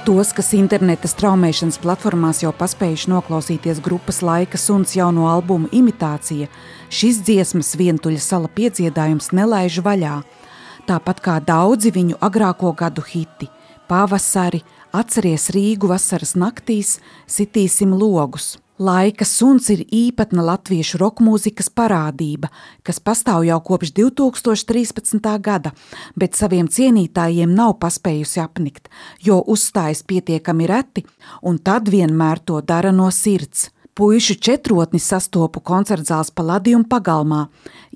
Tos, kas interneta straumēšanas platformās jau paspējuši noklausīties grupas Laika suns jauno albumu Imitācija, šis dziesmas Vientuļa sala piedziedājums nelaiž vaļā. Tāpat kā daudzi viņu agrāko gadu hiti – Pavasari, Atceries Rīgu vasaras naktīs, Sitīsim logus. Laika suns ir īpatna latviešu rokmūzikas parādība, kas pastāv jau kopš 2013. gada, bet saviem cienītājiem nav paspējusi apnikt, jo uzstājas pietiekami reti un tad vienmēr to dara no sirds. Puišu četrotni sastopu koncertzāles Palladium pagalmā.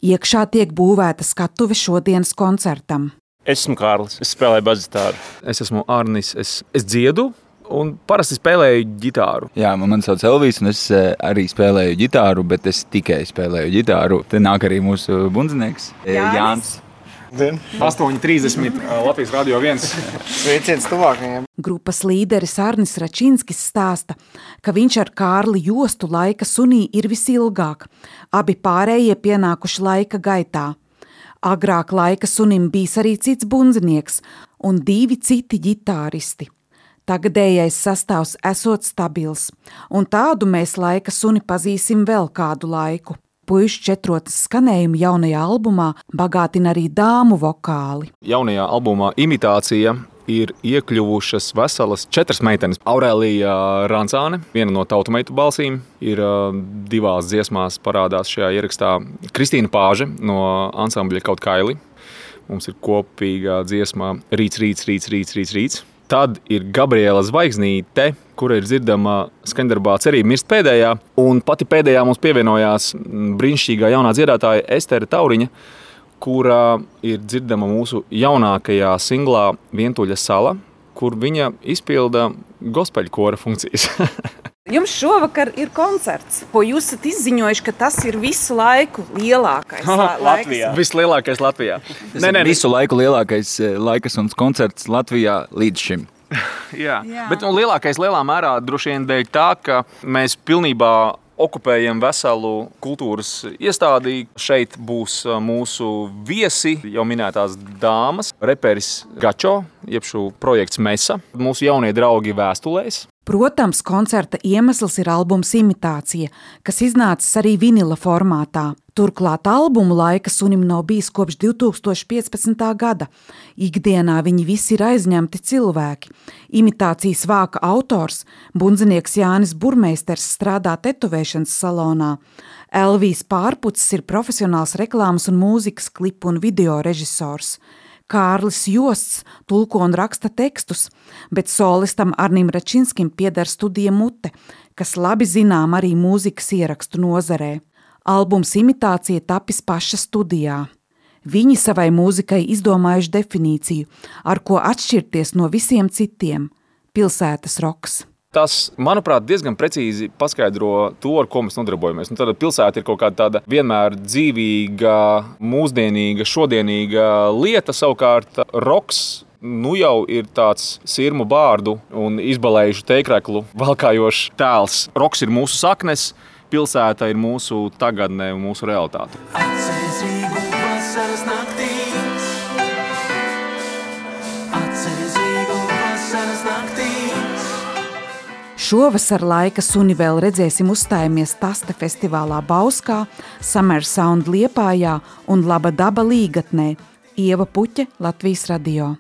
Iekšā tiek būvēta skatuve šodienas koncertam. Esmu Kārlis, es spēlēju basģitāru. Es esmu Arnis, es dziedu. Un parasti spēlēju ģitāru. Jā, man sauc Elvijs, un es arī spēlēju ģitāru, bet es tikai spēlēju ģitāru. Te nāk arī mūsu bundzinieks Jānis. 8:30 Latvijas Radio 1. Sveiciens tuvākajiem. Grupas līderis Arnis Račinskis stāsta, ka viņš ar Kārli jostu Laika sunī ir visilgāk. Abi pārējie pienākuši laika gaitā. Agrāk Laika sunim bijis arī cits bundzinieks un 2 citi ģitāristi. Tagadējais sastāvs esot stabils, un tādu mēs Laika suni pazīsim vēl kādu laiku. Puišu četrotnes skanējumu jaunajā albumā bagātina arī dāmu vokāli. Jaunajā albumā Imitācija ir iekļuvušas veselas 4 meitenes. Aurēlija Rancāne, viena no tautumeitu balsīm, ir 2 dziesmās parādās šajā ierakstā. Kristīna Pāže no ansambļa Kaut kaili. Mums ir kopīgā dziesma Rīts. Tad ir Gabriela Zvaigznīte, kura ir dzirdama skaņdarbā Cerība mirst pēdējā, un pati pēdējā mums pievienojās brīnišķīgā jaunā dziedātāja Estere Tauriņa, kura ir dzirdama mūsu jaunākajā singlā Vientuļa sala, kur viņa izpilda gospeļkora funkcijas. Jums šovakar ir koncerts, ko jūs esat izziņojuši, ka tas ir visu laiku lielākais Latvijā. Vislielākais Latvijā. Visu laiku lielākais Laika suns koncerts Latvijā līdz šim. Jā. Bet lielākais lielā mērā droši vien dēļ tā, ka mēs pilnībā okupējam veselu kultūras iestādi. Šeit būs mūsu viesi, jau minētās dāmas, reperis Gačo, jeb šo projekts Mesa, mūsu jaunie draugi Vēstulēs. Protams, koncerta iemesls ir albums Imitācija, kas iznācis arī vinila formātā. Turklāt albumu Laika sunim nav bijis kopš 2015. gada. Ikdienā viņi visi ir aizņemti cilvēki. Imitācijas vāka autors, bundzinieks Jānis Burmeisters, strādā tetovēšanas salonā. Elvijs Pārpucis ir profesionāls reklāmas un mūzikas klipu un video režisors. Kārlis Josts tulko un raksta tekstus, bet solistam Arnim Račinskim pieder studija Mute, kas labi zinām arī mūzikas ierakstu nozarē. Albums Imitācija tapis paša studijā. Viņi savai mūzikai izdomājuši definīciju, ar ko atšķirties no visiem citiem – pilsētas roks. Tas, manuprāt, diezgan precīzi paskaidro to, ar ko mēs nodarbojamies. Tāda pilsēta ir kaut kāda tāda vienmēr dzīvīga, mūsdienīga, šodienīga lieta. Savukārt roks jau ir tāds sirmu bārdu un izbalējušu teikreklu valkājošs tēls. Roks ir mūsu saknes, pilsēta ir mūsu tagadne un mūsu realitāte. Atceries Rīgu vasaras naktīs. Atceries Rīgu vasaras naktīs. Šovasar Laika suni vēl redzēsim uzstājamies Taste festivālā Bauskā, Summer Sound Liepājā un Laba daba Līgatnē. Ieva Puķe, Latvijas Radio.